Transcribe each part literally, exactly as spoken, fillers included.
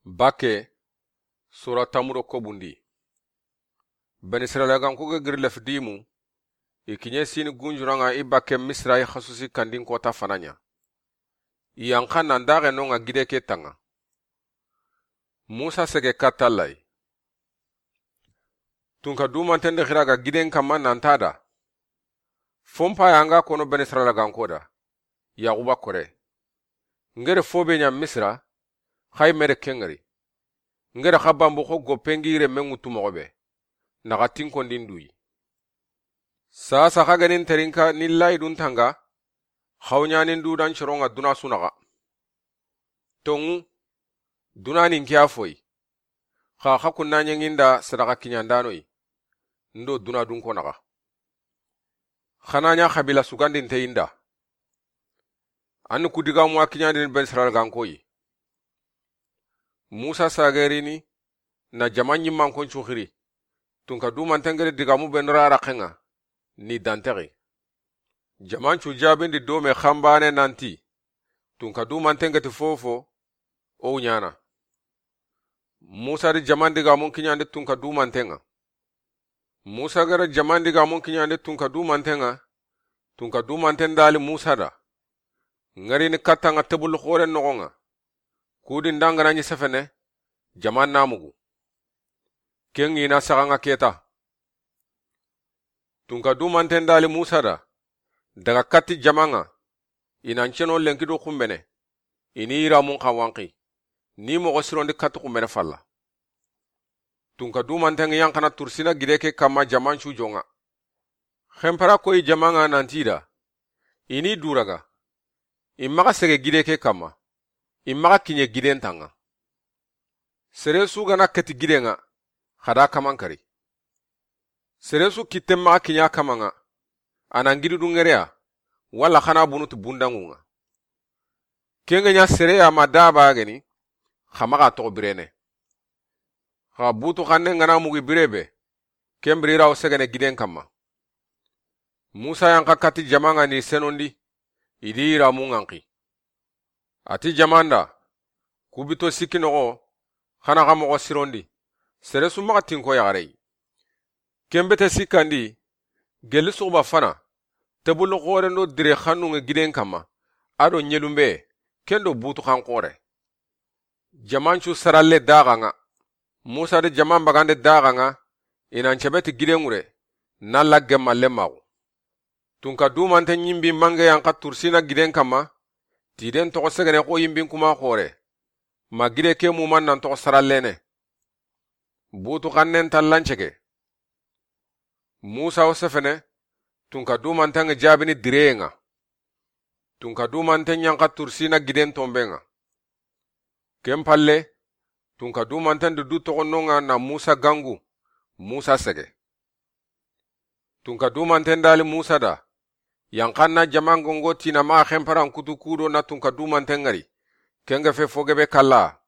Bakke, sura tanmu do ko bundi. Bani Israila ganko ga giri Refidimu, i kiɲe sini gunjuranŋa i bakke Misira i xasusi kandin kota fana ɲa. I yanqa nan daxe nonŋa gide ke tanŋa. Musa sege katta Alla yi. Tunka dumanten di xiri a ga giden kanma nan ti a da. Fo n pa ya n ga kono Bani Israila ganko da. Yaxuba kore. N gere fo be ɲa Misira, xa yi me de ken ŋari. N gere xa banbu xo goppe n gi renme ŋutu moxo be. Na xa tinkondi n du yi. Saasa xa ga ni n terinka ni layi dun tanga, xa wo ɲaani n du da n coronŋa duna su naxa. Tonŋu, duna ni n ke ya fo yi. Xa xa kunna ɲeŋi n da sadaxa kiɲandano yi. N do duna dunko naxa. Xa na ɲa xabila sugandinte yi n da. An ni ku digamu wa kiɲandini Bani Israila ganko yi. Musa sagerini na jama ɲimmanko n cu xiri. Tunka dumanten gere digamu be n ra raxenŋa ni dantexi. Jaman cu jabindi do me xanbane nan ti, tunka dumanten geti fofo, o wu ɲaana. Musa di jaman digamun kiɲandi tunka dumanten ŋa. Musa gere jaman digamun kiɲandi tunka dumanten ŋa. Tunka dumanten dali Musa da. Ŋarini katta ŋa tebulu xoren noxon ŋa. Kudi n da n ga na ɲi sefene, jaman na mugu. Ken ŋi na saxa ŋa keta. Tunka dumanten dali Musa da, daga katti jaman ŋa, i na n ceno lenki do xunbene, i ni yiramun xa wanqi, ni moxo sirondi katti xunbene falla. Tunka dumanten ŋa yanqana tursina gide ke kanma jaman cu jonŋa. Xenpara koyi jaman ŋa nan ti i da, i ni duraga, i maxa sege gide ke kanma, i maxa kiɲe giden tanŋa. Sere su ga na keti giden ŋa, xa da kaman kari. Sere su kitten maxa kiɲa kaman ŋa, a na n gidi du ŋereya, walla xa na bunu ti bundanŋun ŋa. Ken ga ɲa sere ya ma daba geni, xa maxa toxo birene. Xa butu xannen ga na mugi bire be, ken biri ra wo segene giden kanma. Musa yanqa katti jaman ŋa ni senondi, i di yiramun ŋanqi. A ti jaman da, ku bito sikki noxo, xa na xa moxo sirondi, sere su maxa tinko yaxare yi. Ken bete sikkandi, gelli suxuba fana, tebulu xoren do dire xannun ŋa giden kanma, a do ɲelunbe, ken do butu xan xore. Jaman cu saralle daxa ŋa. Musa di jaman bagande daxa ŋa, i na n cebe ti giden ŋure, na lagge malle maxu. Tunka dumanten ɲimbi mange yanqa tursina giden kanma, tiden toxo segene xo yimbin kuma xore. Ma gide ke muman nan toxo sarallene. Butu xannen tallan cege. Musa wo sefene, tunka dumanten ŋa jabini direyen ŋa. Tunka dumanten yanqa tursina giden tomben ŋa. Ken palle, tunka dumanten di du toxo nonŋa na Musa gangu, Musa sege. Tunka dumanten dali Musa da, yanqan na jaman gongo ti na maxa xenparan kutu kudo na tunka dumanten ŋari, ken ga fe fo gebe kalla.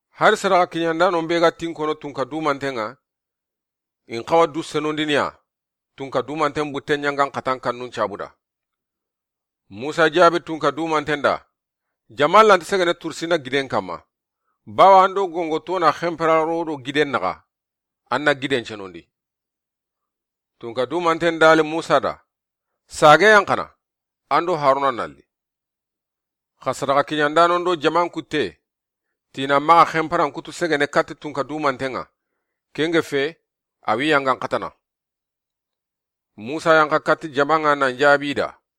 Hari sadaxa kiɲandanon be ga tinkono tunka dumanten ŋa, in xawa du senondiniya, tunka dumanten butten ɲangan xatan kannun cabuda. Musa jabi tunka dumanten da, jaman lanti segene tursina giden kanma, bawa an do gongo tona xenpararo do giden naxa, an na giden cenondi. Tunka dumanten dali Musa da, sage yanqana, an do Haruna nalli. Xa sadaxa kiɲandanon do jaman kutte, ti na maxa xenparan kutu segene katti tunka dumanten ŋa, ken ga fe, a wi yangan xatana. Musa yanqa katti jaman ŋa nan jabi da,